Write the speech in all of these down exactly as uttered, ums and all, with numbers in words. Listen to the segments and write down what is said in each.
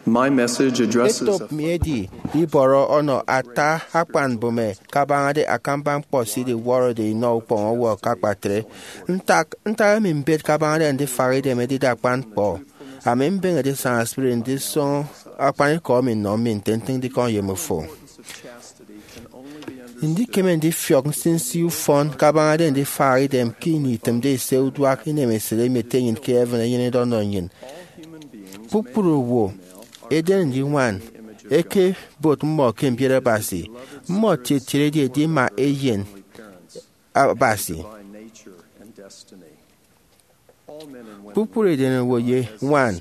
My message addresses Etop mi edi ibọrọ ọnọ ata akpan mbụme kabañade akamba ñkpọ se idiwọrọde inọ ukpọñ owo ke akpatre. Ntak ntak emi mbet kabañade ndifak idem edide akpan ñkpọ? Ami mbeñe edisaña spirit ndisọñọ akpanikọ emi nnọ mi nte ntịñde ikọñ ye mmifo. Ndikeme ndifiọk nsinsi ufọn kabañade ndifak idem ke ini itịmde ise uduak inemesịt emi ete enyịn ke heaven enyenede ọnọ nnyịn. Kpukpru owo, eden ye ñwan, ẹkebot mmọ ke mbiet Abasi. Mmọ tiet tiet edi edima eyen Abasi. Kpukpru eden owo ye ñwan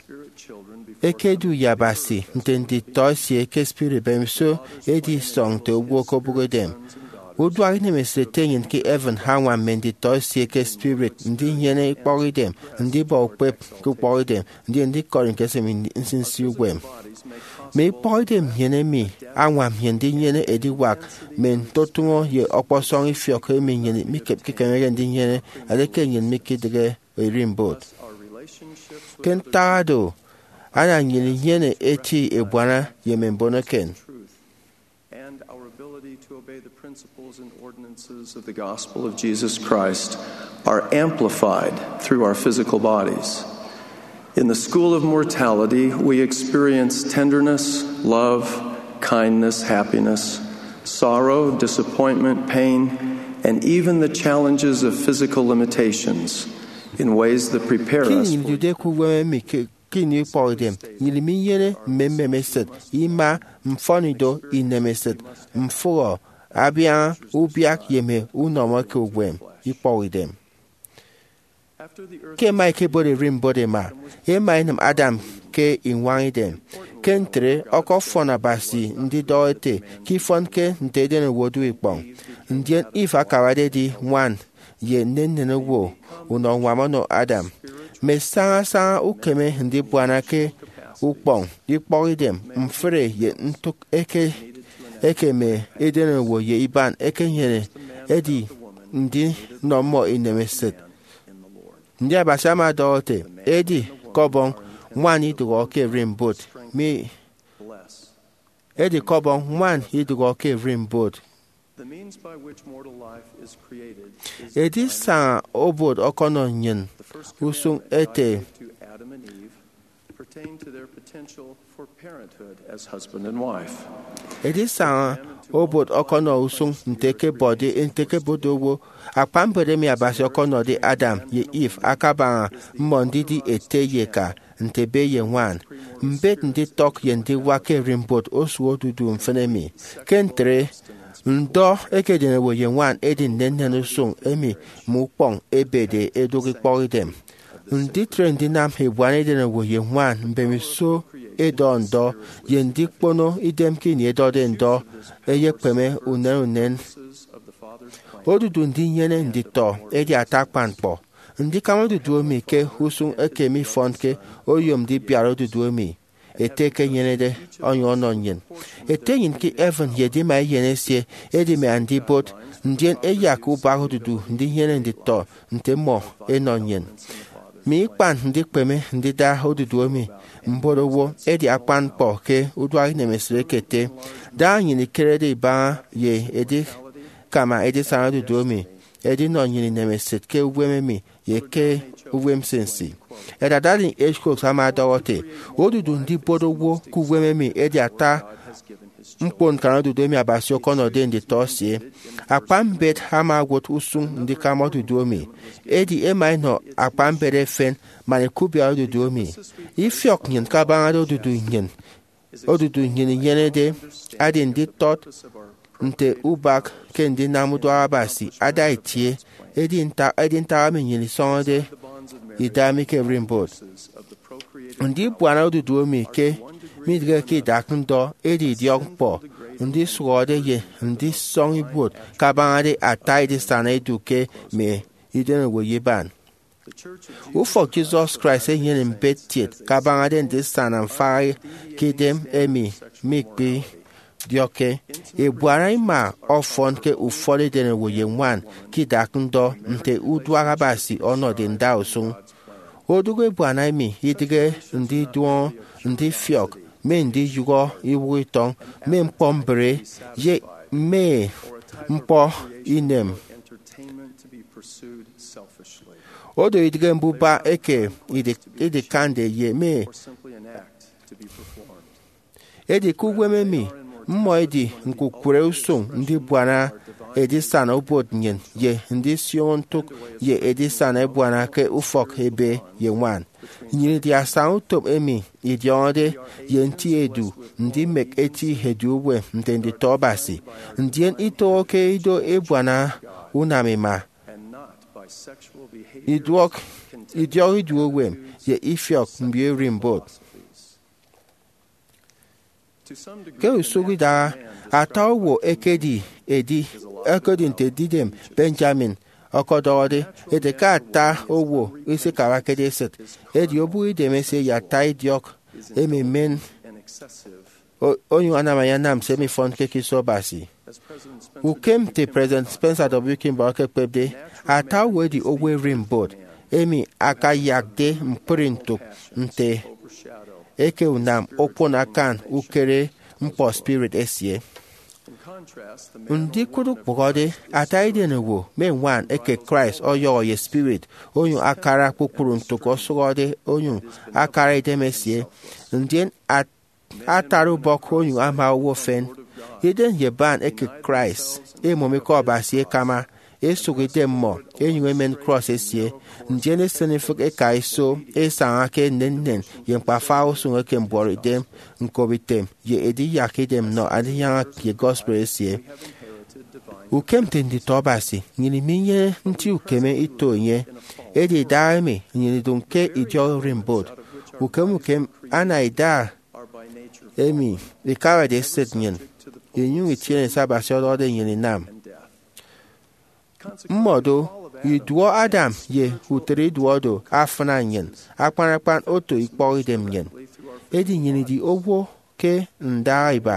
ẹkedu ye Abasi nte nditọ esie ke spirit mbemiso edisọñ nte owo ke obụk edem. Uduak inemesịt ete enyịn ke heaven añwam mme nditọ esie ke spirit ndinyene ikpọkidem, ndibọ ukpep ke ukpọkidem, ndien ndikọri ñkese mme nsinsi uwem. Mme ikpọkidem nnyịn emi añwam nnyịn ndinyene ediwak mme ntotụñọ ye ọkpọsọñ ifiọk emi nnyịn mikemeke ndinyene edieke nnyịn mikidịghe erimbot. Ke ntak do, ana nnyịn inyene eti ebuana ye mme mbon eken. And our ability to obey the principles and ordinances of the gospel of Jesus Christ are amplified through our physical bodies. In the school of mortality, we experience tenderness, love, kindness, happiness, sorrow, disappointment, pain, and even the challenges of physical limitations in ways that prepare Ke us ini for idude ke uwem emi ke ke ini ikpọkidem, nnyịn minyene mme mmemesịt, ima, mfọnido, inemesịt, mfụhọ, abiaña, ubiak, ye mme unọmọ ke uwem ikpọkidem. Ke ẹma ẹkebot ererimbot ẹma, ẹma ẹnịm Adam ke iñwañidem. Ke ntre, ọkọfọn Abasi ndidọhọ ete ke ifọnke nte edenowo odu ikpọñ. Ndien Eve akabade edi ñwan ye nnennen owo, unọ ñwam ọnọ Adam. Mme sañasaña ukeme ndibuana ke ukpọñ, ikpọkidem, mfre, ye ntụk eke eke mme edenowo ye iban ekenyene edi ndinọ mmọ inemesịt. Ndi Abasi ama ọdọhọ ete, edi ke Ọbọñ ñwan idụhọ ke erimbot mi? Edi ke Ọbọñ ñwan idụhọ ke erimbot. Edisaña obot ọkọnọ nnyịn usụñ ete, edisaña obot ọkọnọ usụñ nte ke bọde nte ke bọde owo. Akpa mbet emi Abasi ọkọnọde Adam ye Eve akabaña mmọ ndidi ete ye eka, nte ebe ye ñwan. Mbet nditọk ye ndiwak ke erimbot osụk odudu mfịn emi. Ke ntre, ndọ eke edenowo ye ñwan edi nnennen usụñ emi mme ukpọñ ebede edụk ikpọkidem. Nditre ndinam ebuana edenowo ye ñwan mbemiso edọ ndọ ye ndikpono idem ke ini edọde ndọ eyekpeme unen unen. Odudu ndinyene nditọ edi ata akpan ñkpọ. Ndikama odudu emi ke usụñ eke mifọnke oyom ndibiat odudu emi Ete ekenyenede onyụñ ọnọ nnyịn. Ete enyịn ke heaven ye edima Eyen esie edi mme andibot, ndien ẹyak ubak odudu ndinyene nditọ nte mmọ ẹnọ nnyịn. Mme ikpan ndikpeme ndida odudu emi mbon owo edi akpan ñkpọ ke uduak inemesịt eke ete. Da nnyịn ikerede ibaña ye edikama edisana odudu emi, edinọ nnyịn inemesịt ke uwem emi ye ke uwem nsinsi. Elder Dallin H. Oaks ama ọdọhọ ete, odudu ndibot owo ke uwem emi edi ata ñkponñkan odudu emi Abasi ọkọnọde nditọ esie. Akpa mbet ama owụt usụñ ndikama odudu emi, edi ẹma ẹnọ akpa mbet efen man ẹkubiat odudu emi. Ifiọk nnyịn kabañade odudu nnyịn odudu nnyịn inyenede adi nditọt nte ubak ke ndinam uduak Abasi ada itie. Edi ntak edi ntak emi nnyịn isọñọde ida mi ke ererimbot. Ndibuana odudu emi ke midịghe ke idak ndọ edi idiọkñkpọ ndisụhọde ye ndisọñ ibuot kabañade ata edisana edu ke mme idenowo ye iban. Ufọk Jesus Christ enyene mbet kiet kabañade ndisana mfaha ke idem emi mikpidiọkke. Ebuana ima ọfọn ke ufọt edenowo ye ñwan ke idak ndọ nte uduak Abasi ọnọde ndausụñ. Odụk ebuana emi idịghe ndiduọñọ ndifiọk mme ndiyụhọ iwụhọ itọñ, mme ñkpọ mbre, ye mme ñkpọ inem. Odo idịghe mbuba eke idikande ye mme. Edi ke uwem emi, mmọ ẹdi ñkukụre usụñ ndibuana edisana ubuot nnyịn ye ndisioño ntụk ye edisana ebuana ke ufọk ebe ye ñwan. Nnyịn idi asañautom emi idiọñọde ye nti edu ndimek eti edu uwem nte nditọ Abasi, ndien itọhọke ido ebuana unam ima, idiọk idiọk iduọ uwem, ye ifiọk mbio ererimbot. Ke usụk idaha, ata owo ẹkedi edi, ẹkedi nte edidem Benjamin ọkọdọhọde ete ke ata owo isikabakede esịt, edi obụk idemesie ye ata idiọk ememen, onyụñ anam ayanam se mifọnke ke iso Abasi. Ukem nte President Spencer W. Kimball ekekpepde, ata owo edi owo ererimbot emi akayakde ñkpri ntụk nte eke unam okpon akan ukere ñkpọ spirit esie. Ndikụt ukpụhọde, ata edenowo mme ñwan eke Christ ọyọhọ ye spirit, onyụñ akara kpukpru ntụk osụhọde, onyụñ akara idemesie, ndien atara ubọk onyụñ ama owo efen. Idem ye band eke Christ, emom Ikọ Abasi ekama, esụk idem mmọ, enyụñ emen krọs esie, ndien esịn ifịk eka iso esaña ke nnennen ye ñkpafaha usụñ eke mbuọtidem, ñkobitem, ye ediyak idem nnọ andinyaña ye gospel esie. Ukem nte nditọ Abasi, nnyịn minyene nti ukeme ito enye. Edi idahaemi nnyịn idụñ ke idiọk ererimbot. Ukem ukem ana ida emi ikabade esịt nnyịn, inyụñ itiene se Abasi ọdọhọde nnyịn inam. Mmọdo, iduọ Adam ye utịt iduọ do afịna nnyịn, akpan akpan oto ikpọkidem nnyịn. Edi nnyịn idi owo ke ndaha iba,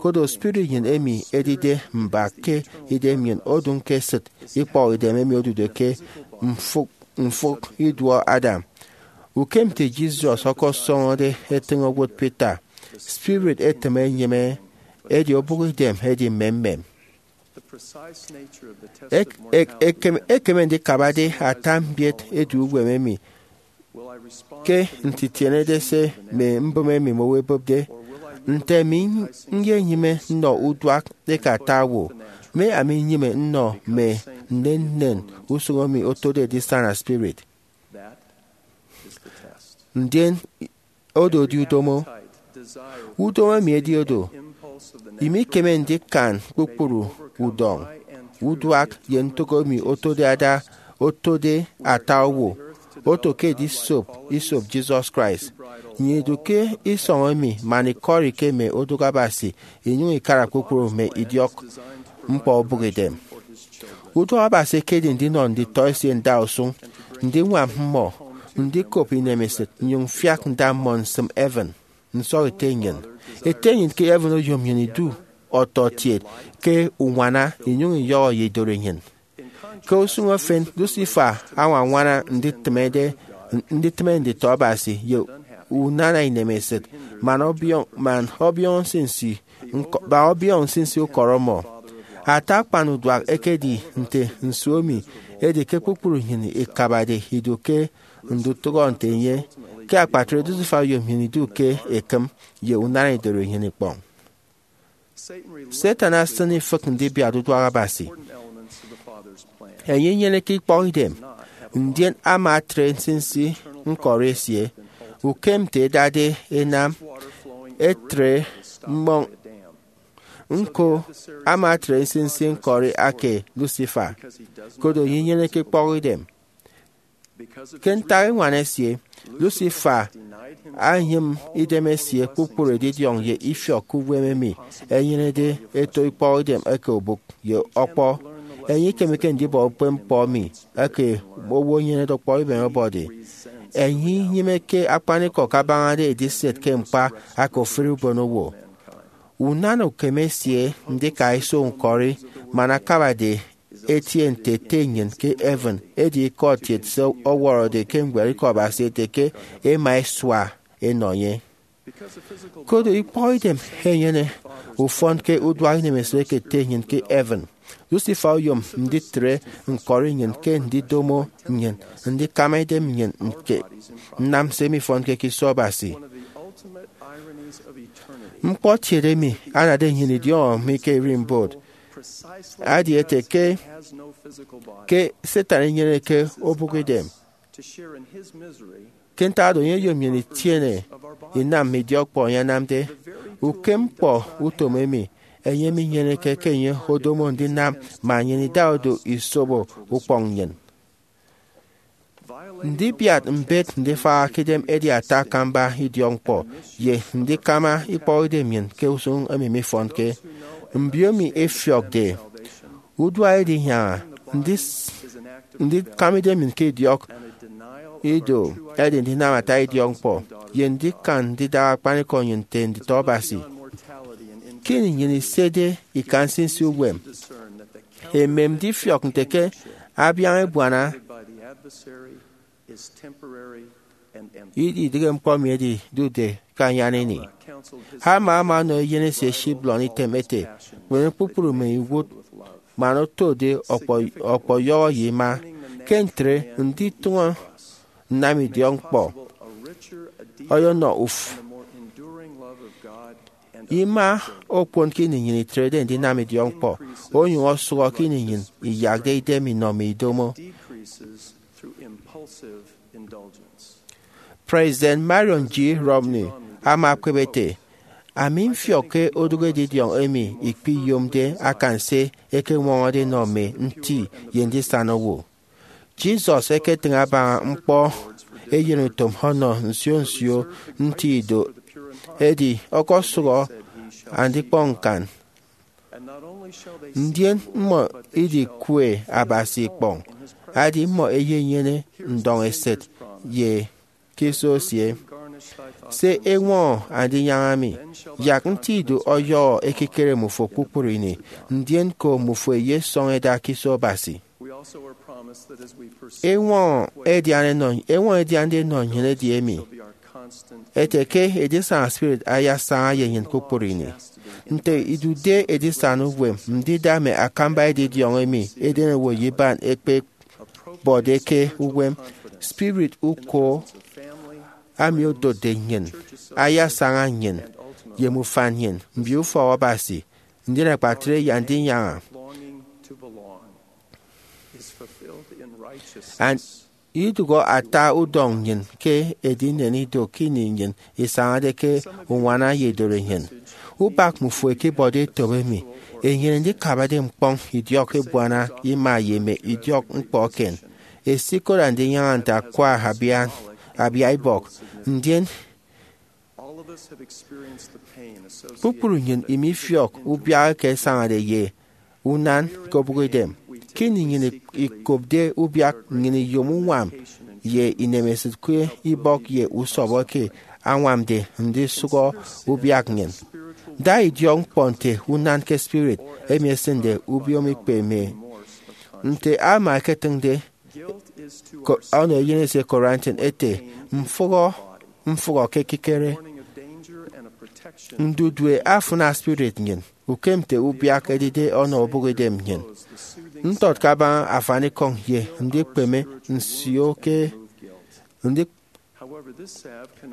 koro spirit nnyịn emi edide mbak ke idem nnyịn odụñ ke esịt ikpọkidem emi odude ke mfụk mfụk iduọ Adam. Ukem nte Jesus ọkọsọñọde etịñ owot Peter, spirit etịm enyịme, edi obụk idem edi mmemmem. Ek- ek- ekem- ekeme ndikabade ata mbiet edu uwem emi ke ntitienede se mme mbụme emi mmọ ẹbụpde. Nte ami nyenyịme nnọ uduak eke ata owo, mme ami nnyịme nnọ mme nnennen usụñ emi otode edisana spirit? Ndien odo edi udomo. Udomo emi edi odo. Imikeme ndikan kpukpru udọñ, uduak, ye ntụk emi otode ada, otode ata owo, oto ke edisop isop Jesus Christ. Nnyịn idu ke isọñ emi man ikọri ke mme odụk Abasi, inyụñ ikara kpukpru mme idiọk ñkpọ obụkidem. Uduak Abasi ekedi ndinọ nditọ esie ndausụñ, ndiñwam mmọ, ndikop inemesịt, nnyụñ mfiak nda mmọ nsịm heaven. Nsọk ete nnyịn, Ete nnyịn ke heaven oyom nnyịn idu ọtọkiet ke uñwana, inyụñ iyọhọ ye idụri nnyịn. Ke usụñ efen, Lucifer añwañwana nditịmede, nditịme nditọ Abasi ye unana inemesịt, man ọbiọñ, man ọbiọñ nsinsi, ñkọ- man ọbiọñ nsinsi ukọrọ mmọ. Ata akpan uduak ekedi nte nsu emi edi ke kpukpru nnyịn ikabade idu ke ndutụhọ nte enye. Ke akpatre, Lucifer oyom nnyịn idu ke ekịm ye unana idori nnyịn ikpọñ. Satan asịn ifịk ndibiat uduak Abasi. Enye inyeneke ikpọkidem, ndien ama atre nsinsi ñkọri esie. Ukem nte edade enam, etre mmọñ. Ñko, ama atre nsinsi ñkọri ake Lucifer, koro enye inyeneke ikpọkidem. Ke ntak eñwan esie, Lucifer anyịm idemesie kpukpru edidiọñ ye ifiọk ke uwem emi ẹnyenede ẹto ikpọkidem eke obụk ye ọkpọ. Enye ikemeke ndibọ ukpepñkpọ emi eke owo enyenede ọkpọ ibem ọbọde. Enye inyịmeke akpanikọ kabañade ediset ke ñkpa aka ofụri ubonowo. Unana ukeme esie ndika iso ñkọri man akabade etie nte ete nnyịn ke heaven, edi ikọt kiet se ọwọrọde ke ñwed Ikọ Abasi ete ke ẹma ẹsua ẹnọ enye. Koro ikpọkidem enyene ufọn ke uduak inemesịt eke ete nnyịn ke heaven. Lucifer oyom nditre ñkọri nnyịn ke ndidomo nnyịn ndikama idem nnyịn ke nnam se mifọnke ke iso Abasi. Ñkpọntịbe emi anade nnyịn idiọñọ mi ke ererimbot edi ete ke, ke Satan inyeneke obụk idem. Ke ntak oro, enye oyom nnyịn itiene inam mme idiọkñkpọ enye anamde. Ukem ñkpọ utom emi, enye minyeneke ke enye odomo ndinam man nnyịn ida odu isobo ukpọñ nnyịn. Ndibiat mbet ndifaña ke idem edi ata akamba idiọkñkpọ ye ndikama ikpọkidem nnyịn ke usụñ emi mifọnke. Mbiomi ẹfiọkde uduak edinyaña, ndis-, ndikama idem nnyịn ke idiọk ido edi ndinam ata idiọkñkpọ ye ndikan ndidara akpanikọ nnyịn nte nditọ Abasi. Ke ini nnyịn isede ika nsinsi uwem, emem ndifiọk nte ke abiaña ebuana ididịghe ñkpọ emi ẹdidude ke anyan ini. Alma ama ọnọ eyen esie Shiblon item ete, kpeme kpukpru mme iwụt man otode ọkpọ-, ọkpọyọhọ ye ima. Ke ntre, nditụñọ nnam idiọkñkpọ ọyọnọ uf-, ima okpon ke ini nnyịn itrede ndinam idiọkñkpọ, onyụñ osụhọ ke ini nnyịn iyakde idem inọ mme idomo. President Marion G. Romney ama ekpep ete, ami mfiọk ke odụk edidiọñ emi ikpiyomde akan se ẹkeñwọñọde ẹnọ mme nti ye ndisana owo. Jesus eketịñ abaña ñkpọ eyenutom ọnọ nsio nsio nti ido, edi ọkọsụhọ andikpọñ ñkan. Ndien mmọ idikwe Abasi ikpọñ, edi mmọ eyenyene ndọñesịt ye ke iso esie. Se eñwọñọ andinyaña mi, yak nti ido ọyọhọ ekikere mmufo kpukpru ini, ndien ko mmufo eyesọñ eda ke iso Abasi. Eñwọñọ ẹdian ẹnọ, eñwọñọ ẹdiande ẹnọ nnyịn edi emi, ete ke edisana spirit ayasaña ye nnyịn kpukpru ini. Nte idude edisana uwem, ndida mme akamba edidiọñ emi edenowo ye iban ẹkpebọde ke uwem, spirit uko ami odotde nnyịn ayasaña nnyịn ye mme ufan nnyịn, mbio ufọk Abasi, ndien akpatre ye andinyaña. And idụhọ ata udọñ nnyịn ke edinen ido ke ini nnyịn isañade ke uñwana ye edori nnyịn. Ubak mmufo ẹkebọde etop emi enyene ndikabade ñkpọñ idiọk ebuana ima ye mme idiọk ñkpọ eken. Esikot andinyaña nte akwa abian, abiaibọk, ndien kpukpru nnyịn imifiọk ubiak eke ẹsañade ye unan ke obụkidem. Ke ini nnyịn ikopde ubiak, nnyịn iyom uñwam ye inemesịt ke ibọk ye usọbọ eke añwamde ndisụhọ ubiak nnyịn. Da idiọkñkpọ nte unan ke spirit emi esịnde ubiomikpe emi. Nte Alma eketịñde, ko-, ọnọ eyen esie Corinthian ete, mfụhọ, mfụhọ ke ekikere. Ndudue afịna spirit nnyịn, ukem nte ubiak edide ọnọ obụkidem nnyịn. Ntọt kabaña afanikọñ ye ndikpeme nsio ke ndi-,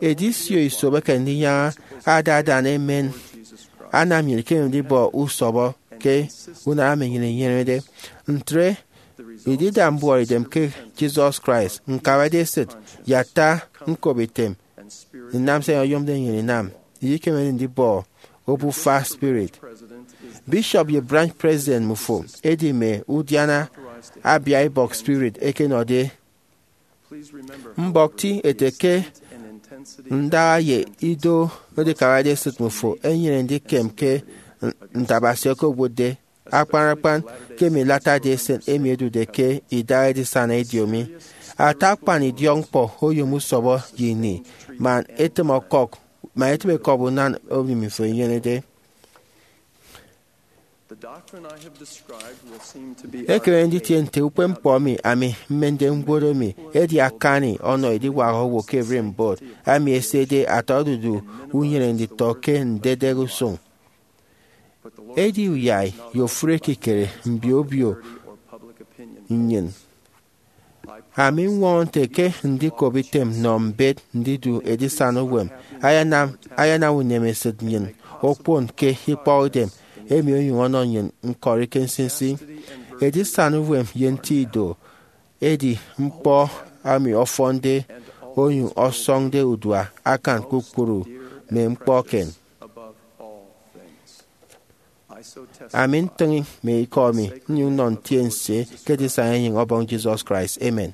edisio isobeke ndinyaña ada adan emen anam nnyịn ikeme ndibọ usọbọ ke unana emi nnyịn inyenede. Ntre, idida mbuọtidem ke Jesus Christ, ñkabade esịt, ye ata ñkop item, nnam se enye oyomde nnyịn inam, ikemede ndibọ obufa spirit. Bishop ye branch president mmufo edi mme udiana abiaibọk spirit eke ẹnọde. Mbọk ti ete ke ndaha ye ido edikabade esịt mmufo enyene ndikem ke nte Abasi okowotde, akpan akpan ke mme lata de esen emi ẹdude ke idaha edisana ediomi. Ata akpan idiọkñkpọ oyom usọbọ ye ini, man etịm ọkọk, man etịm ẹkọk unan emi mmifo inyenede. Ekeme nditie nte ukpepñkpọ emi ami mmende ñwot emi edi akani ọnọ ediwak owo ke ererimbot, ami esede ata odudu unyene nditọ ke ndedek usụñ. Edi uyai ye ofụri ekikere mbio obio nnyịn. Ami ñwọñọ nte ke ndikop item nnọ mbet ndidu edisana uwem ayanam, ayanam unemesịt nnyịn okpon ke ikpọkidem emi onyụñ ọnọ nnyịn ñkọri ke nsinsi. Edisana uwem ye nti ido edi ñkpọ emi ọfọnde onyụñ ọsọñde udua akan kpukpru mme ñkpọ eken. Ami ntịñ mme ikọ mi nnyụñ nnọ ntiense ke edisana enyịñ Ọbọñ Jesus Christ. Amen.